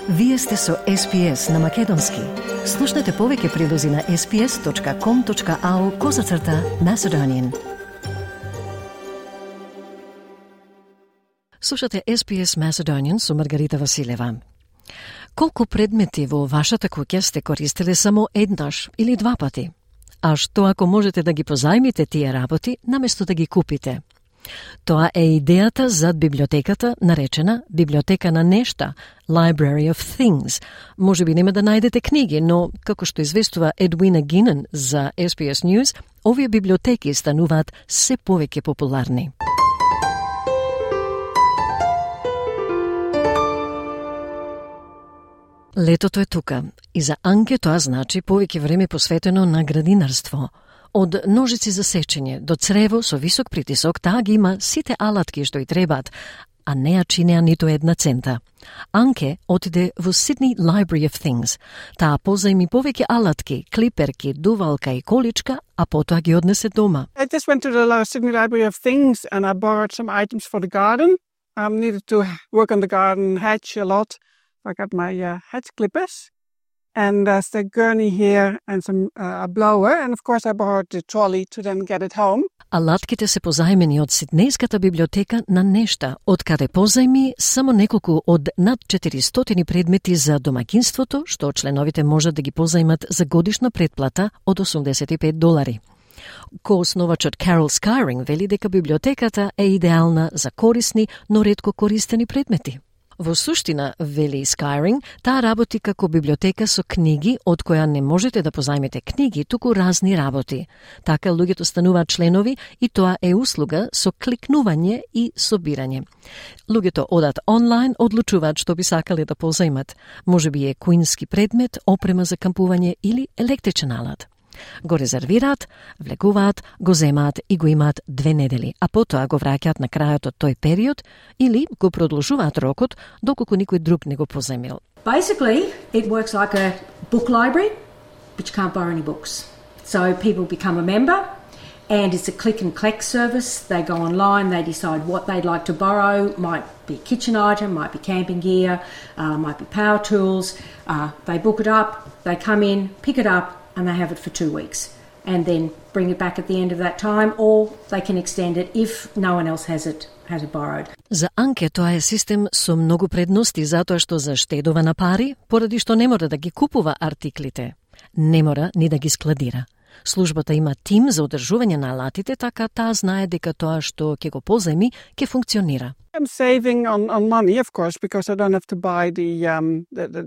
Вие сте со SPS на Македонски. Слушнете повеќе прилози на sps.com.au/Macedonian. Слушате SPS Macedonian со Маргарита Василева. Колку предмети во вашата куќа сте користеле само еднаш или два пати? А што ако можете да ги позајмите тие работи, наместо да ги купите? Тоа е идејата зад библиотеката, наречена Библиотека на нешта, Library of Things. Може би нема да најдете книги, но, како што известува Едвина Гинен за SPS News, овие библиотеки стануваат се повеќе популарни. Летото е тука и за Анке тоа значи повеќе време посветено на градинарство. Од ножици за сечење до црево со висок притисок, таа ги има сите алатки што й требаат, а не ја чинеа ниту една цента. Анке отиде во Sydney Library of Things. Таа позајми повеќе алатки, клиперки, дувалка и количка, а потоа ги однесе дома. I just went to the Sydney Library of Things and I borrowed some items for the garden. I needed to work on the garden hedge a lot. I got my hedge clippers and the gurney here and some a blower, and of course I borrowed the trolley to then get it home. Алатките се позајмени од Сиднејската библиотека на нешта, од каде позајми само неколку од над 400 предмети за домаќинството, што членовите можат да ги позајмат за годишна претплата од $85. Коосновачот Carol Skyring вели дека библиотеката е идеална за корисни, но ретко користени предмети. Во суштина, вели Skyring, таа работи како библиотека со книги, од која не можете да позајмете книги, туку разни работи. Така луѓето стануваат членови и тоа е услуга со кликнување и собирање. Луѓето одат онлайн, одлучуваат што би сакале да позајмат. Може би е куински предмет, опрема за кампување или електричен алат. Го резервираат, влегуваат, го земаат и го имаат 2 недели, а потоа го враќаат на крајот од тој период или го продолжуваат рокот доколку никој друг не го позајмил. Basically, it works like a book library, but you can't borrow any books. So people become a member, and it's a click and collect service. They go online, they decide what they'd like to borrow. Might be a kitchen item, might be camping gear, might be power tools. They book it up, they come in, pick it up, and they have it for 2 weeks, and then bring it back at the end of that time, or they can extend it if no one else has it borrowed. За Анке тоа е систем со многу предности затоа што заштедува на пари, поради што не мора да ги купува артиклите. Не мора ни да ги складира. Службата има тим за одржување на алатите, така таа знае дека тоа што ќе го позајми ќе функционира. I'm saving on money, of course, because I don't have to buy the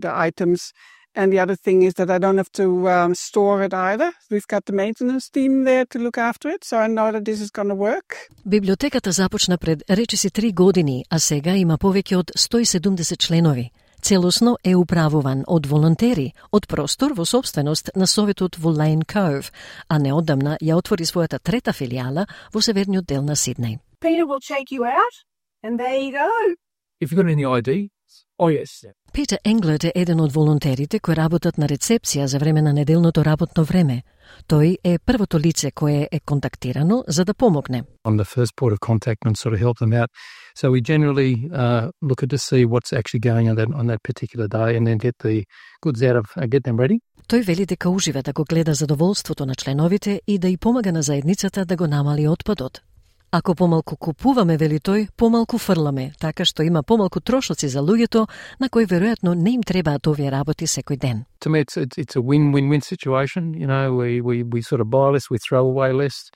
items. And the other thing is that I don't have to store it either. We've got the maintenance team there to look after it, so I know that this is going to work. Библиотеката започна пред речиси 3 години, а сега има повеќе од 170 членови. Целосно е управуван од волонтери, од простор во собственост на Советот во Lane Cove, а неодамна ја отвори својата 3-та филијала во северниот дел на Сиднеј. Peter will check you out, and there you go. If you've got any ID, oh yes. Питер Енглет е еден од волонтерите кои работат на рецепција за време на неделното работно време. Тој е првото лице кое е контактирано за да помогне. I'm the first port of contact and sort of help them out. So we generally look at to see what's actually going on that particular day and then get the goods out of get them ready. Тој вели дека ужива да го гледа задоволството на членовите и да и помага на заедницата да го намали отпадот. Ако помалку купуваме, вели тој, помалку фрламе, така што има помалку трошоци за луѓето на кои веројатно не им требаат овие работи секој ден. To me, it's a win-win-win situation. You know, we sort of buy less, we throw away less.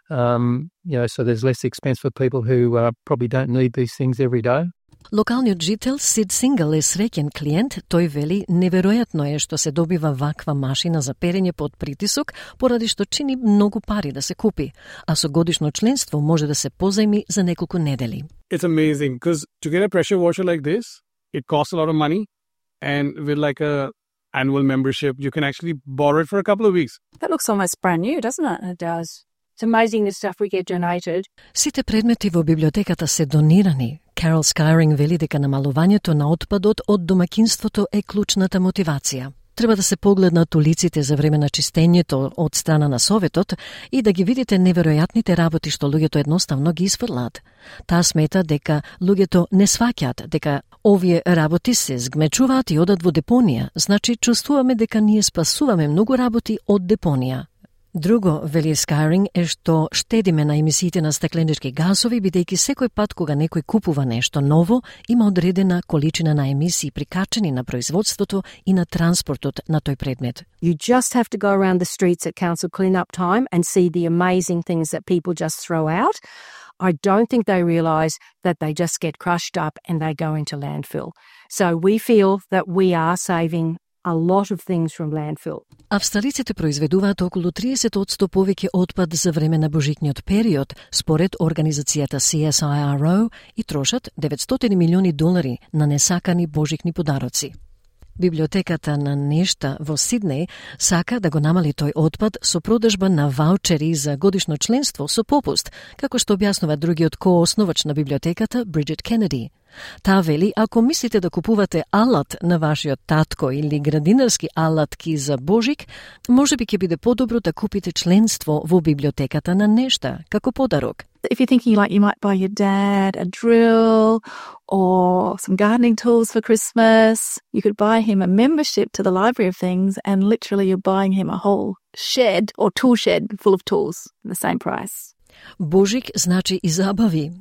So there's less expense for people who probably don't need these things every day. Локалниот жител Сид Сингал е среќен клиент. Тој вели неверојатно е што се добива ваква машина за перење под притисок, поради што чини многу пари да се купи, а со годишно членство може да се позајми за неколку недели. It's amazing because to get a pressure washer like this, it costs a lot of money, and with like a annual membership, you can actually borrow it for a couple of weeks. That looks almost brand new, doesn't it? It does. It's amazing the stuff we get donated. Сите предмети во библиотеката се донирани. Carol Skyring вели дека намалувањето на отпадот од домаќинството е клучната мотивација. Треба да се погледнат улиците за време на чистењето од страна на Советот и да ги видите неверојатните работи што луѓето едноставно ги изфрлаат. Таа смета дека луѓето не сваќаат дека овие работи се згмечуваат и одат во депонија, значи чувствуваме дека ние спасуваме многу работи од депонија. Друго, вели Скайринг, е што штедиме на емисиите на стакленички газови, бидејќи секој пат кога некој купува нешто ново, има одредена количина на емисии прикачени на производството и на транспортот на тој предмет. You just have to go around the streets at council clean-up time and see the amazing things that people just throw out. I don't think they realise that they just get crushed up and they go into landfill. So we feel that we are saving a lot of things from landfill. Австралиците произведуваат околу 30% повеќе отпад за време на божикниот период, според организацијата CSIRO, и трошат $900 милиони на несакани божикни подароци. Библиотеката на нешта во Сиднеј сака да го намали тој отпад со продажба на ваучери за годишно членство со попуст, како што објаснува другиот коосновач на библиотеката Бриджит Кенеди. Таа вели, ако мислите да купувате алат на вашиот татко или градинарски алатки за Божик, можеби ќе биде подобро да купите членство во библиотеката на нешта, како подарок. If you're thinking like you might buy your dad a drill or some gardening tools for Christmas, you could buy him a membership to the Library of Things and literally you're buying him a whole shed or tool shed full of tools at the same price. Божик значи и забави.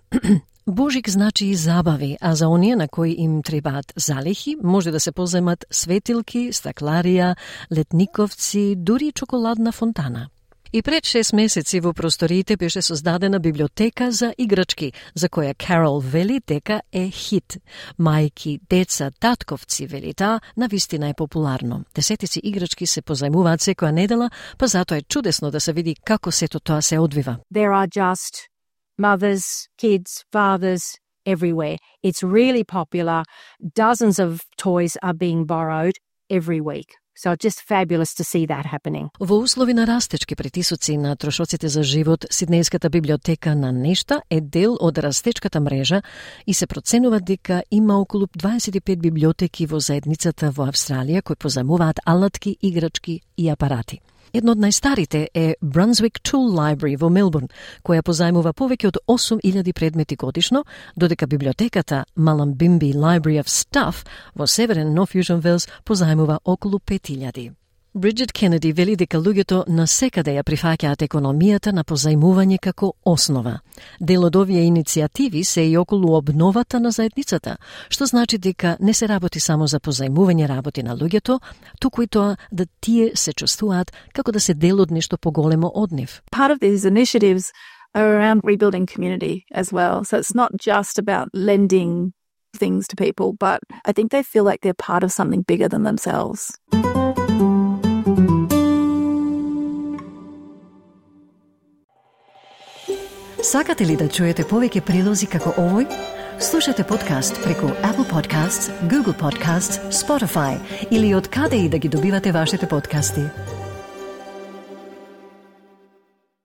Божик значи и забави, а за оние на кои им требаат залихи, може да се поземат светилки, стакларија, летниковци, дури и чоколадна фонтана. И пред 6 месеци во просториите беше создадена библиотека за играчки, за која Карол вели дека е хит. Мајки, деца, татковци, вели таа, навистина е популарно. Десетици играчки се позајмуваат секоја недела, па затоа е чудесно да се види како сето тоа се одвива. There are just mothers, kids, fathers, everywhere. It's really popular. Dozens of toys are being borrowed every week. So it's just fabulous to see that happening. Во услови на растечки притисоци на трошоците за живот, Сиднејската библиотека на нешта е дел од растечката мрежа и се проценува дека има околу 25 библиотеки во заедницата во Австралија кои позајмуваат алатки, играчки и апарати. Едно од најстарите е Brunswick Tool Library во Мелбурн, која позајмува повеќе од 8000 предмети годишно, додека библиотеката Mullumbimby Library of Stuff во северен Нов Јужен Велс позајмува околу 5000. Бриджит Кенеди вели дека луѓето насекаде ја прифаќаат економијата на позајмување како основа. Дел од овие иницијативи се и околу обновата на заедницата, што значи дека не се работи само за позајмување работи на луѓето, туку и тоа да тие се чувствуваат како да се дел од нешто поголемо од нив. Part of these initiatives are around rebuilding community as well. So it's not just about lending things to people, but I think they feel like they're part of something bigger than themselves. Сакате ли да чуете повеќе прилози како овој? Слушате подкаст преку Apple Podcasts, Google Podcasts, Spotify или од каде и да ги добивате вашите подкасти.